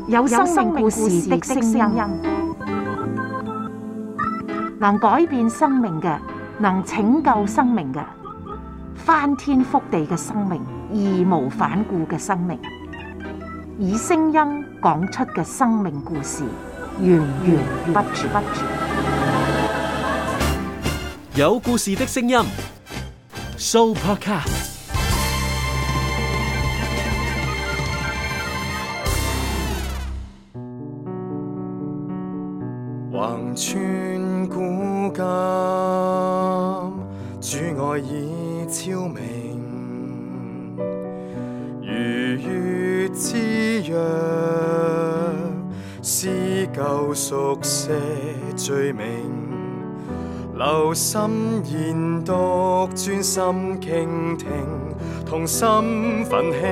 有生命故事的聲音，能改變生命嘅，能拯救生命嘅，翻天覆地嘅生命，義無反顧嘅生命，以聲音講出嘅生命故事，源源不絕。有故事的聲音 ，Sooopodcast。橫穿古今，主愛已超明，如月之約，撕舊熟寫罪名，留心研讀，專心傾聽，同心奮興，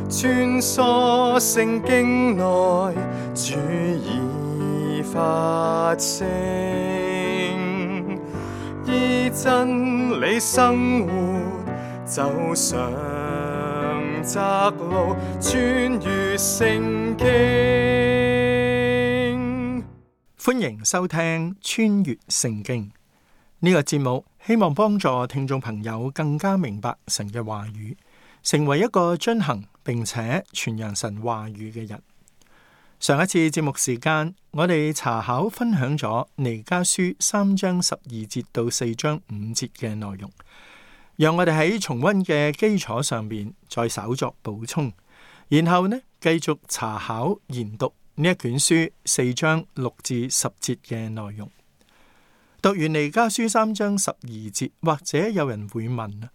穿梭聖經內，主已發聲，依真理生活，走上窄路，穿越聖經。歡迎收聽穿越聖經呢個節目，希望幫助聽眾朋友更加明白神嘅話語，成為一個遵行並且傳揚神話語嘅人。上一次節目時間，我哋查考分享咗彌迦書3章12節到4章5節嘅內容，讓我哋喺重溫嘅基礎上面再稍作補充，然後呢繼續查考研讀呢一卷書4章6至10節嘅內容。讀完彌迦書3章12節，或者有人會問啊，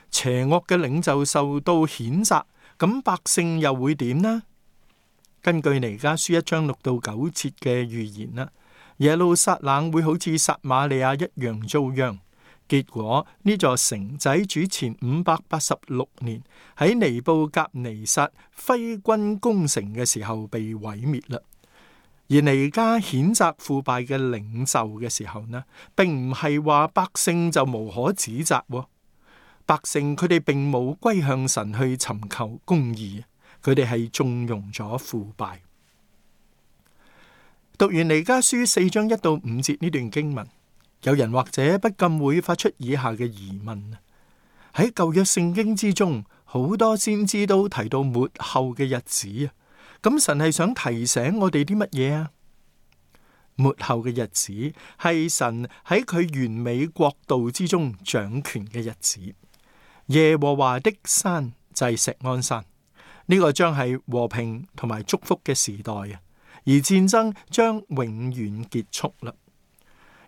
邪惡嘅領袖受到譴責，咁百姓又會點呢？根據彌迦書1章6到9節嘅預言啦，耶路撒冷會好似撒瑪利亞一樣遭殃。結果呢座城仔主前586年喺尼布甲尼撒揮軍攻城嘅時候被毀滅啦。而彌迦譴責腐敗嘅領袖嘅時候呢，並唔係話百姓就無可指責，百姓佢哋並冇歸向神去尋求公義。佢哋係縱容咗腐敗。讀完彌迦書4章1到5節呢段經文，有人或者不禁會發出以下嘅疑問：喺舊約聖經之中，好多先知都提到末後嘅日子啊，咁神係想提醒我哋啲乜嘢啊？末後嘅日子係神喺佢完美國度之中掌權嘅日子。耶和華的山就係錫安山。呢個將係和平同埋祝福嘅時代啊，而戰爭將永遠結束啦。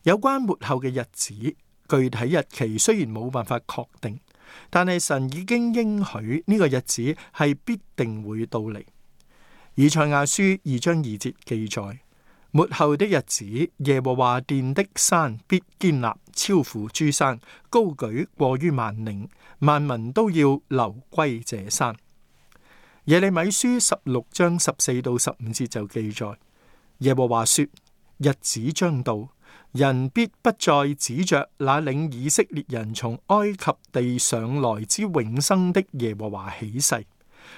有關末後嘅日子，具體日期雖然冇辦法確定，但係神已經應許呢個日子係必定會到嚟。以賽亞書2章2節記載：末後的日子，耶和華殿的山必堅立，超乎諸山，高舉過於萬嶺，萬民都要流歸這山。耶利米書16章14到15節就記載：耶和華說，日子將到，人必不再指着那領以色列人從埃及地上來之永生的耶和華起誓，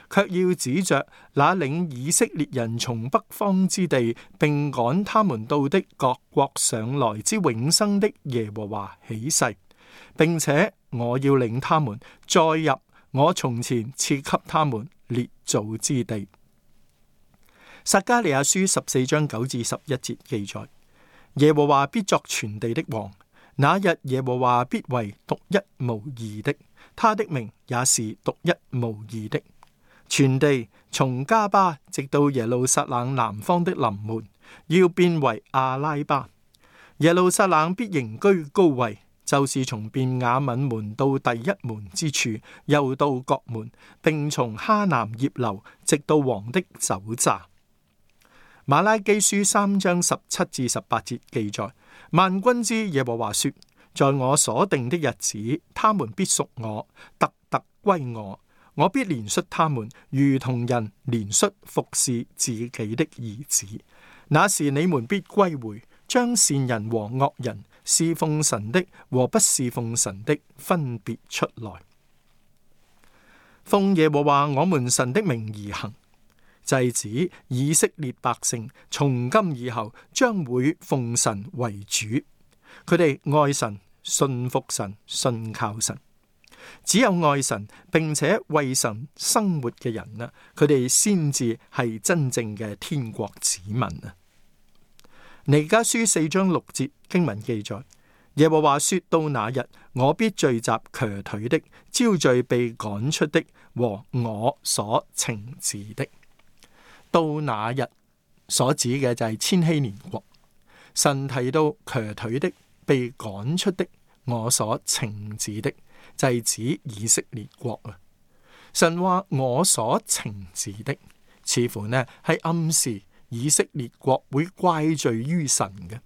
卻要指着那領以色列人從北方之地，並趕他們到的各國上來之永生的耶和華起誓，並且我要領他們再入我從前賜給他們列祖之地。撒迦利亞書14章9至11節記載：耶和華必作全地的王，那日耶和華必為獨一無二的，他的名也是獨一無二的。全地從加巴直到耶路撒冷南方的臨門，要變為阿拉巴。耶路撒冷必仍居高位，就是從便雅憫門到第一門之處，又到角門，並從哈南葉樓直到王的酒榨。馬拉基書3章17至18節記載：萬軍之耶和華說，在我所定的日子，他們必屬我，特特歸我。我必憐恤他們，如同人憐恤服侍自己的兒子。那時你們必歸回，將善人和惡人，侍奉神的和不侍奉神的分別出來。奉耶和華我們神的名而行，就係指以色列百姓從今以後將會奉神為主，佢哋愛神、信服神、信靠神。只有愛神並且為神生活嘅人啦，佢哋先至係真正嘅天國子民啊。彌迦書4章6節經文記載，耶和華說，到那日，我必聚集瘸腿的，招聚被趕出的和我所懲治的。到那日所指嘅就係千禧年國。神提到瘸腿的、被趕出的、我所懲治的，就係指以色列國啊。神話我所懲治的，似乎呢係暗示以色列國會怪罪於神嘅。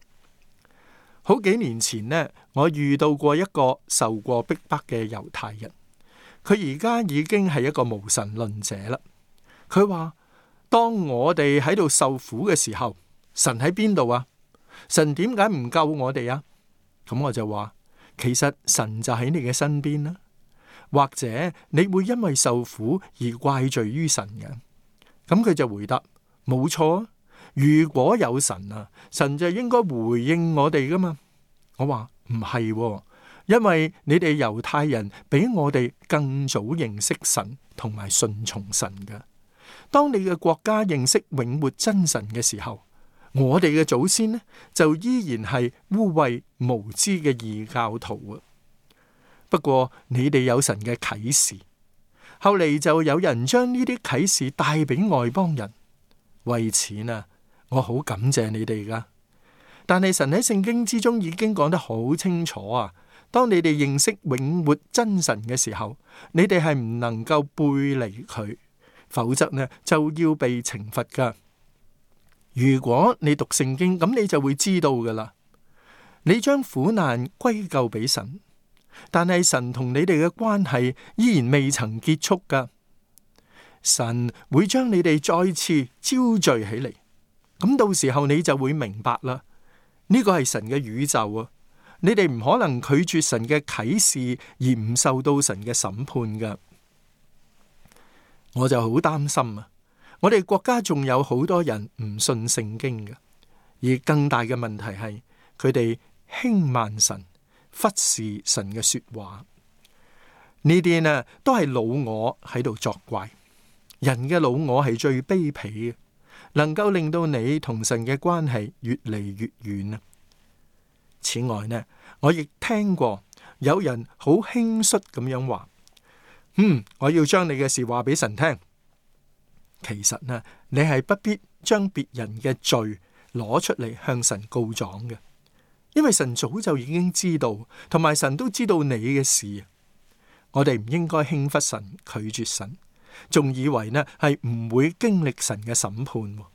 好幾年前呢，我遇到過一個受過逼迫嘅猶太人，佢而家已經係一個無神論者啦。佢話，當我哋喺度受苦嘅時候，神喺邊度啊？神點解唔救我哋啊？咁我就話，其實神就喺你嘅身邊啦。或者你會因為受苦而怪罪於神嘅？咁佢就回答，冇錯啊。如果有神啊，神就應該回應我哋噶嘛。我話唔係，因為你哋猶太人比我哋更早認識神同埋順從神嘅。當你嘅國家認識永活真神嘅時候，我哋嘅祖先呢就依然係污穢無知嘅異教徒啊。不過你哋有神嘅啟示，後嚟就有人將呢啲啟示帶俾外邦人。為此啊，我好感謝你哋噶。但係神喺聖經之中已經講得好清楚啊，當你哋認識永活真神嘅時候，你哋係唔能夠背離佢，否則呢就要被懲罰噶。如果你讀聖經，咁你就會知道噶啦。你將苦難歸咎俾神，但係神同你哋嘅關係依然未曾結束噶。神會將你哋再次招聚起嚟，咁到時候你就會明白啦。呢個係神嘅宇宙啊，你哋唔可能拒絕神嘅啟示而唔受到神嘅審判噶。我就好擔心啊，我哋國家仲有好多人唔信聖經嘅，而更大嘅問題係佢哋輕慢神，忽視神嘅說話。呢啲呢都係老我喺度作怪。人嘅老我係最卑鄙嘅，能夠令到你同神嘅關係越嚟越遠啊。此外呢，我亦聽過有人好輕率咁樣話，我要將你嘅事話俾神聽。其實呢，你係不必將別人嘅罪攞出嚟向神告狀嘅，因為神早就已經知道，同埋神都知道你嘅事。我哋唔應該輕忽神，拒絕神，仲以為呢係唔會經歷神嘅審判。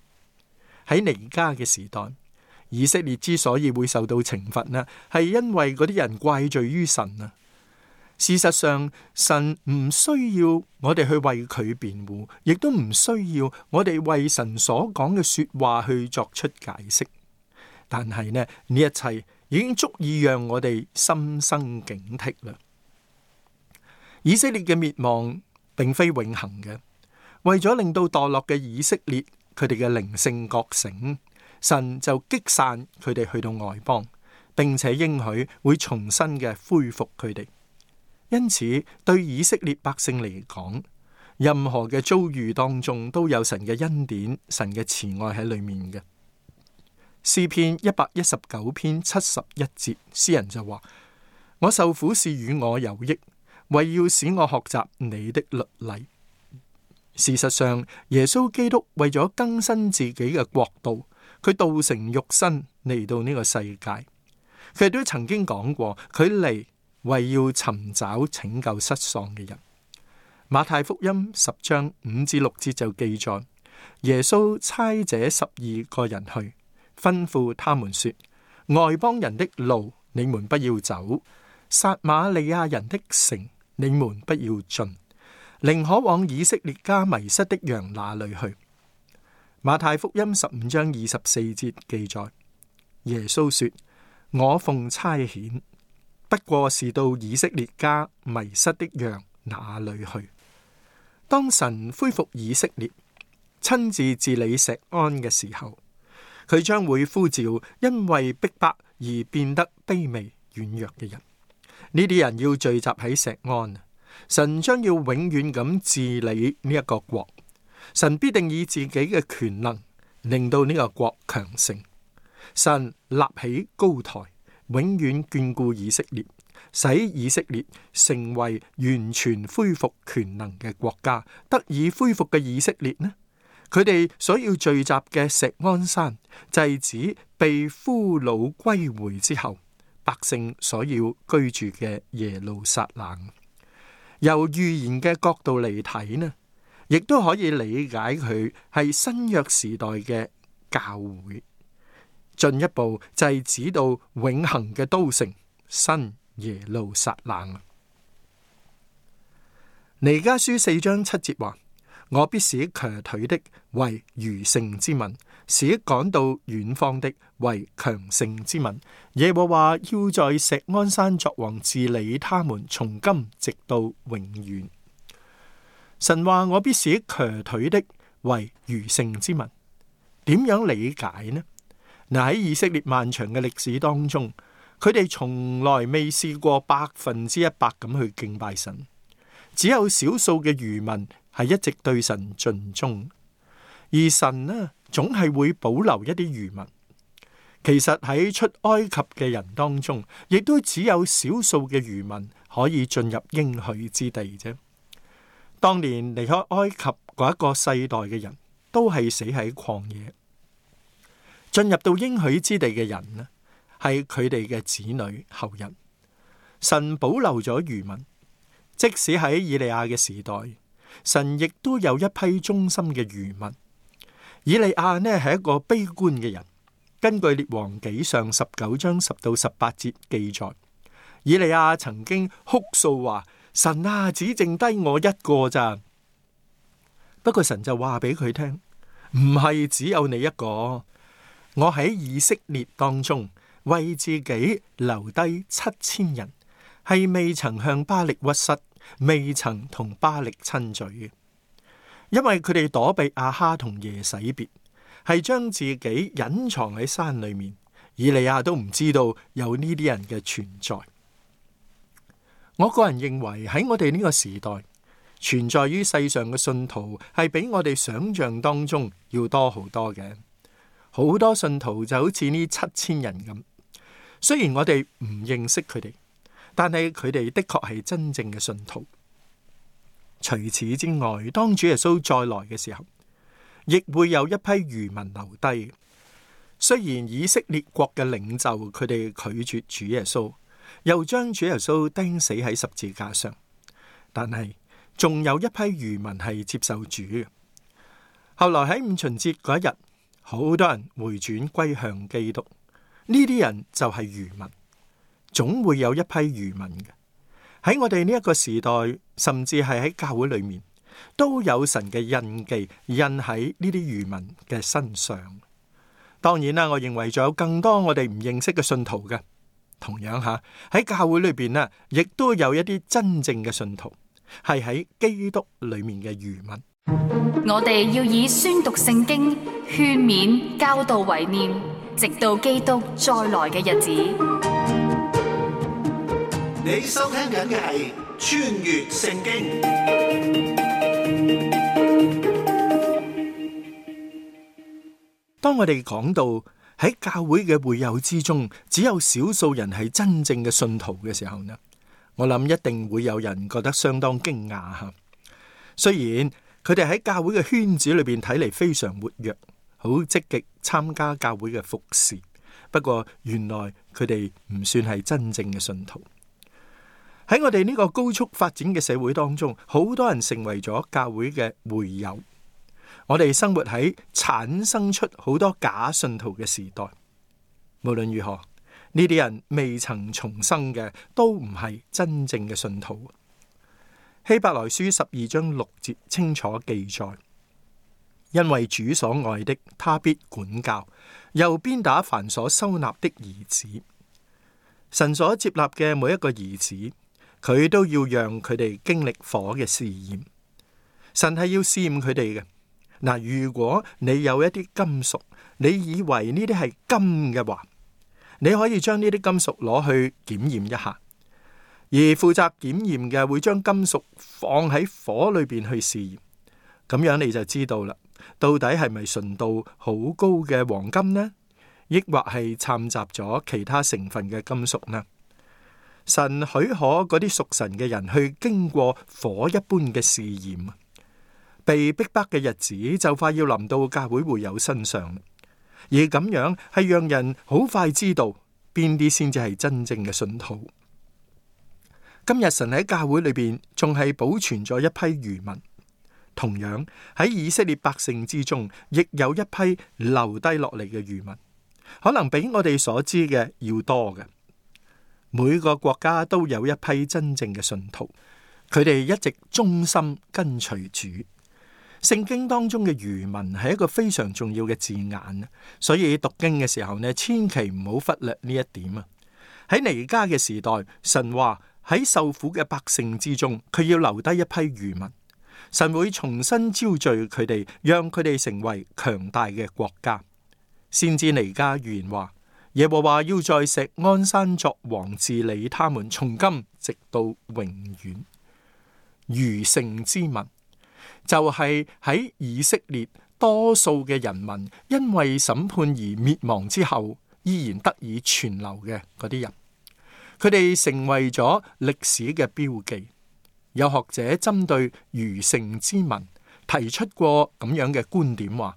喺彌迦嘅時代，以色列之所以會受到懲罰呢，係因為嗰啲人怪罪於神啊。事實上，神唔需要我哋去為佢辯護，亦都唔需要我哋為神所講嘅說話去作出解釋。但係呢一切已經足以讓我哋心生警惕啦。以色列嘅滅亡並非永恆嘅，為咗令到墮落嘅以色列佢哋嘅靈性覺醒，神就擊散佢哋去到外邦，並且應許會重新嘅恢復佢哋。因此，對以色列百姓嚟講，任何嘅遭遇當中都有神嘅恩典、神嘅慈愛喺裏面嘅。詩篇119篇71節，詩人就話：我受苦是與我有益，為要使我學習你的律例。事實上，耶穌基督為咗更新自己嘅國度，佢道成肉身嚟到呢個世界。佢亦都曾經講過，佢嚟為要尋找拯救失喪嘅人。馬太福音10章5至6節就記載，耶穌差這12個人去，吩咐他們說：外邦人的路你們不要走，撒瑪利亞人的城你們不要進，寧可往以色列家迷失的羊那裏去。馬太福音15章24節記載，耶穌說：我奉差遣，不過是到以色列家迷失的羊那裏去。當神恢復以色列，親自治理錫安嘅時候，佢將會呼召因為逼迫而變得卑微軟弱嘅人。呢啲人要聚集喺錫安，神將要永遠咁治理呢一個國。神必定以自己嘅權能令到呢個國強盛。神立起高台，永遠眷顧以色列，使以色列成為完全恢復權能嘅國家。得以恢復嘅以色列呢，佢哋所要聚集嘅錫安山，就係指被俘虜歸回之後百姓所要居住嘅耶路撒冷。由預言嘅角度嚟睇呢，亦都可以理解佢係新約時代嘅教會。進一步就係指到永恆嘅都城新耶路撒冷。彌迦書4章7節話：我必使瘸腿的為餘剩之民，使趕到遠方的為強盛之民。耶和華要在錫安山作王，治理他們，從今直到永遠。神話我必使瘸腿的為餘剩之民，點樣理解呢？嗱，喺以色列漫長嘅歷史當中，佢哋從來未試過100%咁去敬拜神，只有少數嘅餘民係一直對神盡忠，而神呢，總係會保留一啲餘民。其實喺出埃及嘅人當中，亦都只有少數嘅餘民可以進入應許之地啫。當年離開埃及嗰一個世代嘅人都係死喺曠野。進入到應許之地嘅人呢，係佢哋嘅子女後人。神保留咗餘民，即使喺以利亞嘅時代，神亦都有一批忠心嘅餘民。以利亞呢係一個悲觀嘅人，根據列王紀上19章10到18節記載，以利亞曾經哭訴話：神啊，只剩低我一個咋。不過神就話俾佢聽，唔係只有你一個。我喺以色列當中為自己留低7000人，係未曾向巴力屈膝，未曾同巴力親嘴嘅。因為佢哋躲避亞哈同耶洗別，係將自己隱藏喺山裏面，以利亞都唔知道有呢啲人嘅存在。我個人認為喺我哋呢個時代，存在於世上嘅信徒係比我哋想象當中要多好多嘅。好多信徒就好似呢7000人咁，雖然我哋唔認識佢哋，但係佢哋的確係真正嘅信徒。除此之外，當主耶穌再來嘅時候，亦會有一批餘民留低。雖然以色列國嘅領袖佢哋拒絕主耶穌，又將主耶穌釘死喺十字架上，但係仲有一批餘民係接受主嘅。後來喺五旬節嗰一日，好多人回轉歸向基督，呢啲人就係餘民，總會有一批餘民嘅。喺我哋呢一個時代，甚至係喺教會裏面，都有神嘅印記印喺呢啲餘民嘅身上。當然啦，我認為仲有更多我哋唔認識嘅信徒嘅。同樣吓，喺教會裏邊呢，亦都有一啲真正嘅信徒係喺基督裏面嘅餘民。我哋要以宣讀聖經、勸勉、教導為念，直到基督再來嘅日子。你收聽緊嘅係穿越聖經。當我哋講到喺教會嘅會友之中，只有少數人係真正嘅信徒嘅時候呢，我諗一定會有人覺得相當驚訝吓。雖然佢哋喺教會嘅圈子裏邊睇嚟非常活躍，好積極參加教會嘅服侍，不過原來佢哋唔算係真正嘅信徒。喺我哋呢個高速發展嘅社會當中，好多人成為咗教會嘅會友。我哋生活喺產生出好多假信徒嘅時代。無論如何，呢啲人未曾重生嘅，都唔係真正嘅信徒。希伯來書12章6節清楚記載，因為主所愛的，他必管教，又鞭打凡所收納的兒子。神所接納嘅每一個兒子，佢都要讓佢哋經歷火嘅試驗。神係要試驗佢哋嘅。嗱，如果你有一啲金屬，你以為呢啲係金嘅話，你可以將呢啲金屬攞去檢驗一下，而負責檢驗嘅會將金屬放喺火裏邊去試驗，咁樣你就知道啦，到底係咪純度好高嘅黃金呢，抑或係摻雜咗其他成分嘅金屬呢？神許可嗰啲屬神嘅人去經過火一般嘅試驗，被逼迫嘅日子就快要臨到教會會友身上，而咁樣係讓人好快知道邊啲先至係真正嘅信徒。今日神喺教會裏邊仲係保存咗一批餘民，同樣喺以色列百姓之中，亦有一批留低落嚟嘅餘民，可能比我哋所知嘅要多嘅。每個國家都有一批真正嘅信徒，佢哋一直忠心跟隨主。聖經當中嘅餘民係一個非常重要嘅字眼，所以讀經嘅時候呢，千祈唔好忽略呢一點啊！喺彌迦嘅時代，神話喺受苦嘅百姓之中，佢要留低一批餘民，神會重新招聚佢哋，讓佢哋成為強大嘅國家。先知彌迦預言話，耶和華要在錫安山作王，治理他們，從今直到永遠。餘剩之民就係喺以色列多數嘅人民因為審判而滅亡之後，依然得以存留嘅嗰啲人，佢哋成為咗歷史嘅標記。有學者針對餘剩之民提出過咁樣嘅觀點，話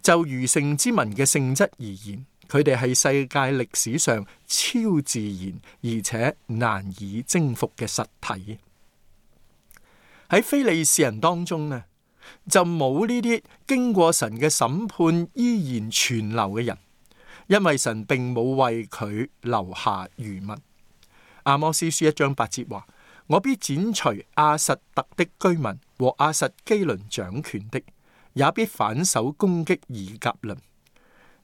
就餘剩之民嘅性質而言，佢哋係世界歷史上超自然而且難以征服嘅實體。喺非利士人當中呢，就冇呢啲經過神嘅審判依然存留嘅人，因為神並冇為佢留下餘民。阿摩司書1章8節話，我必剪除亞實突的居民和亞實基倫掌權的，也必反手攻擊以革倫。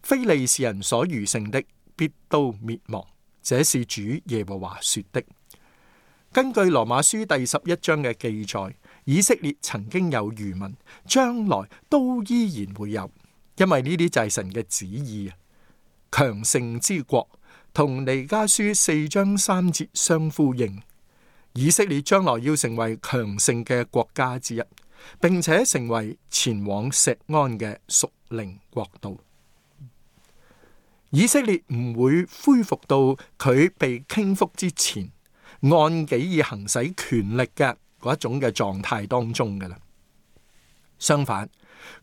非利士人所餘剩的必都滅亡，這是主耶和華說的。根據羅馬書第11章嘅記載，以色列曾經有餘民，將來都依然會有，因為呢啲就係神嘅旨意啊。強盛之國同彌迦書4章3節相呼應，以色列將來要成為強盛嘅國家之一，並且成為前往錫安嘅屬靈國度。以色列唔會恢復到佢被傾覆之前按己以行使權力嘅嗰一種嘅狀態當中㗎喇。相反，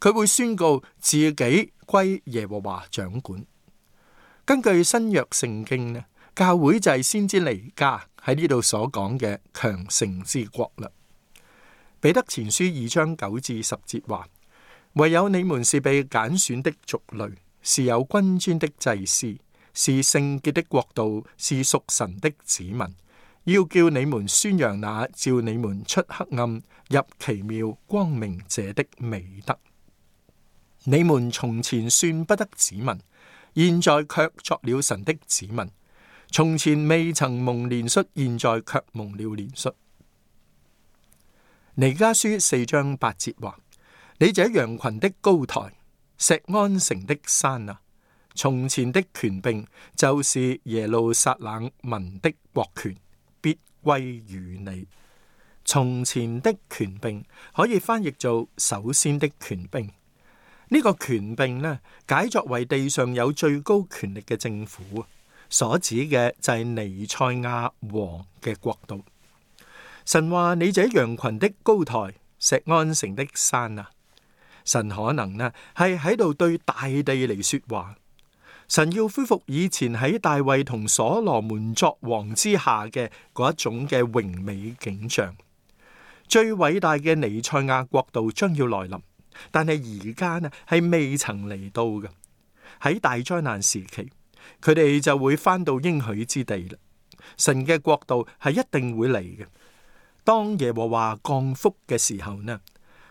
佢會宣告自己歸耶和華掌管。根據新約聖經呢，教會就係先知彌迦喺呢度所講嘅強盛之國啦。彼得前書2章9至10節話，唯有你們是被揀選的族類，是有君尊的祭司，是聖潔的國度，是屬神的子民，要叫你們宣揚那召你們出黑暗入奇妙光明者的美德。你們從前算不得子民，現在卻作了神的子民；從前未曾蒙憐恤，現在卻蒙了憐恤。彌迦書4章8節話，你這羊群的高台，錫安城的山啊，從前的權柄就是耶路撒冷民的國權，必歸於你。從前的權柄可以翻譯做首先的權柄。呢個權柄呢，解作為地上有最高權力嘅政府，所指嘅就係彌賽亞王嘅國度。神話你這羊群的高台，錫安城的山啊，神可能呢係喺度對大地嚟說話。神要恢復以前喺大衛同所羅門作王之下嘅嗰一種嘅榮美景象。最偉大嘅彌賽亞國度將要來臨，但係而家呢係未曾嚟到嘅。喺大災難時期，佢哋就會返到應許之地啦。神嘅國度係一定會嚟嘅。當耶和華降福嘅時候呢，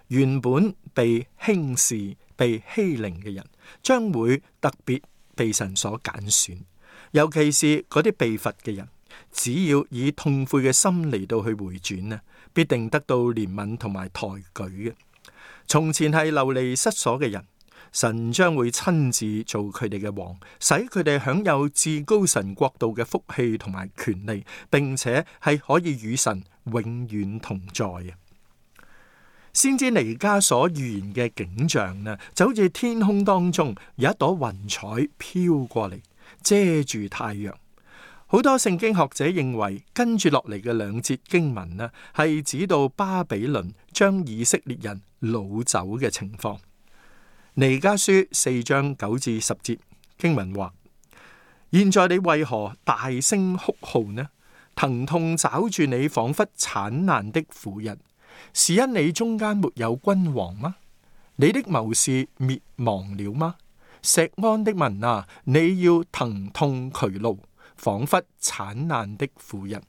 原本被輕視、被欺凌嘅人，將會特別被神所揀選，尤其是嗰啲被罰嘅人，只要以痛悔嘅心嚟到去回轉呢，必定得到憐憫同埋抬舉嘅。從前係流離失所嘅人，神將會親自做佢哋嘅王，使佢哋享有至高神國度嘅福氣同埋權利，並且係可以與神永遠同在啊！先知彌迦所預言嘅景象呢，就好似天空當中有一朵雲彩飄過嚟，遮住太陽。好多聖經學者認為，跟住落嚟嘅兩節經文呢，係指到巴比倫將以色列人擄走嘅情況。彌迦書4章9至10節經文話：現在你為何大聲哭號呢？疼痛抓住你，仿佛產難的婦人。是因你中間沒有君王嗎？你的謀士滅亡了嗎？錫安的民啊，你要疼痛劬勞，仿佛產難的婦人。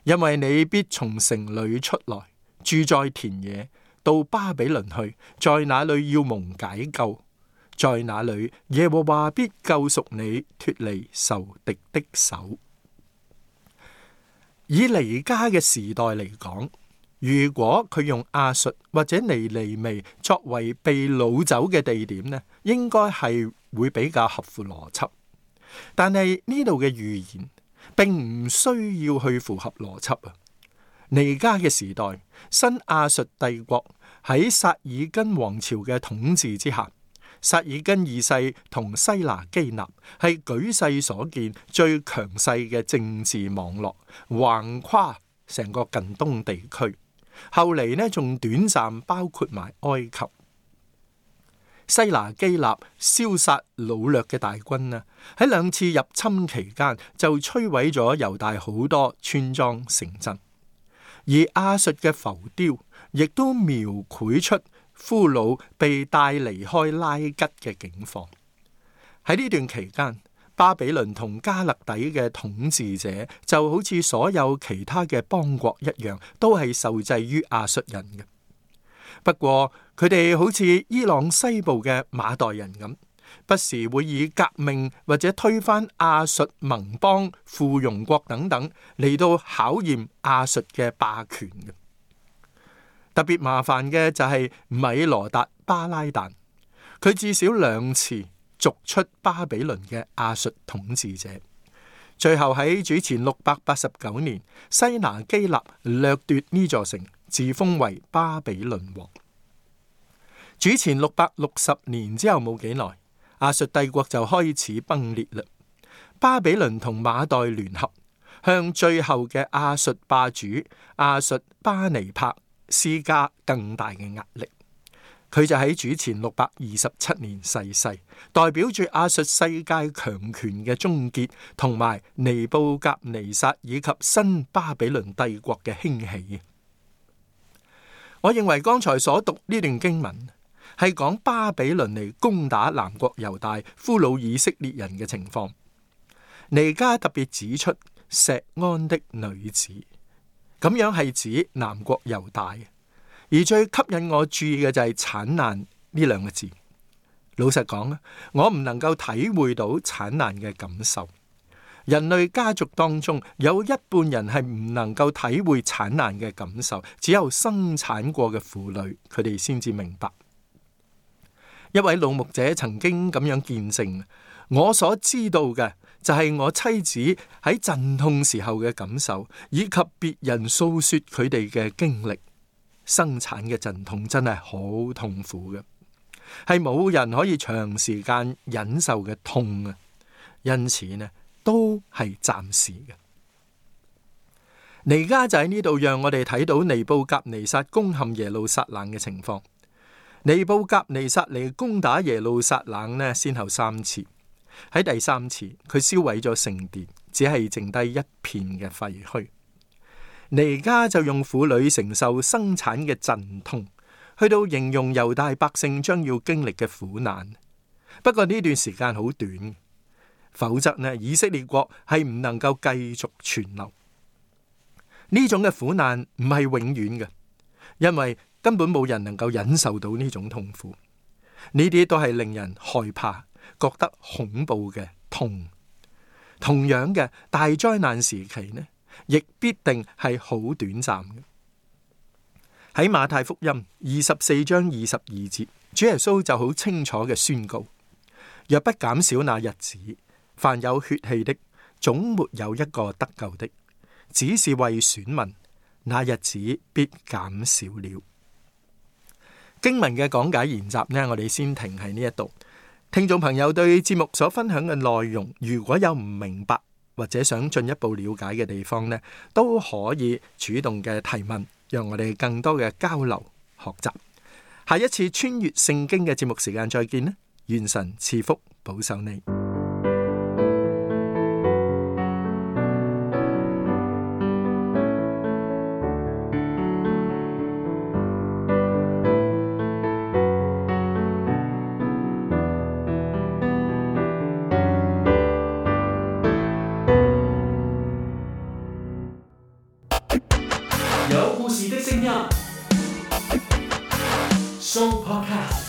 因為你必從城裏出來，住在田野，到巴比倫去，在那裏要蒙解救，在那裏耶和華必救贖你，脫離仇敵的手。以彌迦嘅時代嚟講，如果佢用亞述或者尼尼微作為被擄走嘅地點呢，應該係會比較合乎邏輯。但係呢度嘅預言並唔需要去符合邏輯啊！彌迦嘅時代，新亞述帝國喺撒爾根王朝嘅統治之下，撒爾根二世同西拿基納係舉世所見最強勢嘅政治網絡，橫跨成個近東地區。後嚟呢，仲短暫包括埋埃及。西拿基納燒殺擄掠嘅大軍呢，喺2次入侵期間就摧毀咗猶大好多村莊城鎮，而亞述嘅浮雕亦都描繪出俘虜被帶離開拉吉嘅境況。喺呢段期間，巴比倫同加勒底嘅統治者就好似所有其他嘅邦國一樣，都係受制於亞述人嘅。不過佢哋好似伊朗西部嘅馬代人咁，不時會以革命或者推翻亞述盟邦、附庸國等等嚟到考驗亞述嘅霸權嘅。特別麻煩嘅就係米羅達巴拉旦，佢至少2次逐出巴比倫嘅亞述統治者，最後喺主前689年，西拿基納掠奪呢座城，自封為巴比倫王。主前660年之後冇幾耐，亞述帝國就開始崩裂啦。巴比倫同馬代聯合，向最後嘅亞述霸主亞述巴尼帕施加更大嘅壓力。佢就喺主前627年逝世，代表住亞述世界強權嘅終結，同埋尼布甲尼撒以及新巴比倫帝國嘅興起。我認為剛才所讀呢段經文係講巴比倫嚟攻打南國猶大、俘虜以色列人嘅情況。彌迦特別指出錫安的女子，咁樣係指南國猶大。而最吸引我注意嘅就係產難呢2個字。老實講，我唔能夠體會到產難嘅感受。人類家族當中有一半人係唔能夠體會產難嘅感受，只有生產過嘅婦女，佢哋先至明白。一位老牧者曾經咁樣見證，我所知道嘅就係我妻子喺陣痛時候嘅感受，以及別人訴說佢哋嘅經歷。生產嘅陣痛真係好痛苦嘅，係冇人可以長時間忍受嘅痛啊！因此呢，都係暫時嘅。彌迦就喺呢度讓我哋睇到尼布甲尼撒攻陷耶路撒冷嘅情況。尼布甲尼撒嚟攻打耶路撒冷呢，先後3次。喺第3次，佢燒毀咗聖殿，只係剩低一片嘅廢墟。彌迦就用婦女承受生產嘅陣痛，去到形容猶大百姓將要經歷嘅苦難。不過呢段時間好短，否則呢，以色列國係唔能夠繼續存留。呢種嘅苦難唔係永遠嘅，因為根本冇人能夠忍受到呢種痛苦。呢啲都係令人害怕、覺得恐怖嘅痛。同樣嘅大災難時期呢，亦必定係好短暫嘅。喺馬太福音24章22節，主耶穌就好清楚嘅宣告：若不減少那日子，凡有血氣的，總沒有一個得救的，只是為選民，那日子必減少了。經文嘅講解研習呢，我哋先停喺呢一度。聽眾朋友對節目所分享嘅內容，如果有唔明白或者想進一步了解嘅地方呢，都可以主動嘅提問，讓我哋更多嘅交流學習。下一次穿越聖經嘅節目時間再見啦！願神賜福保守你。有故事的聲音 ，Show Podcast。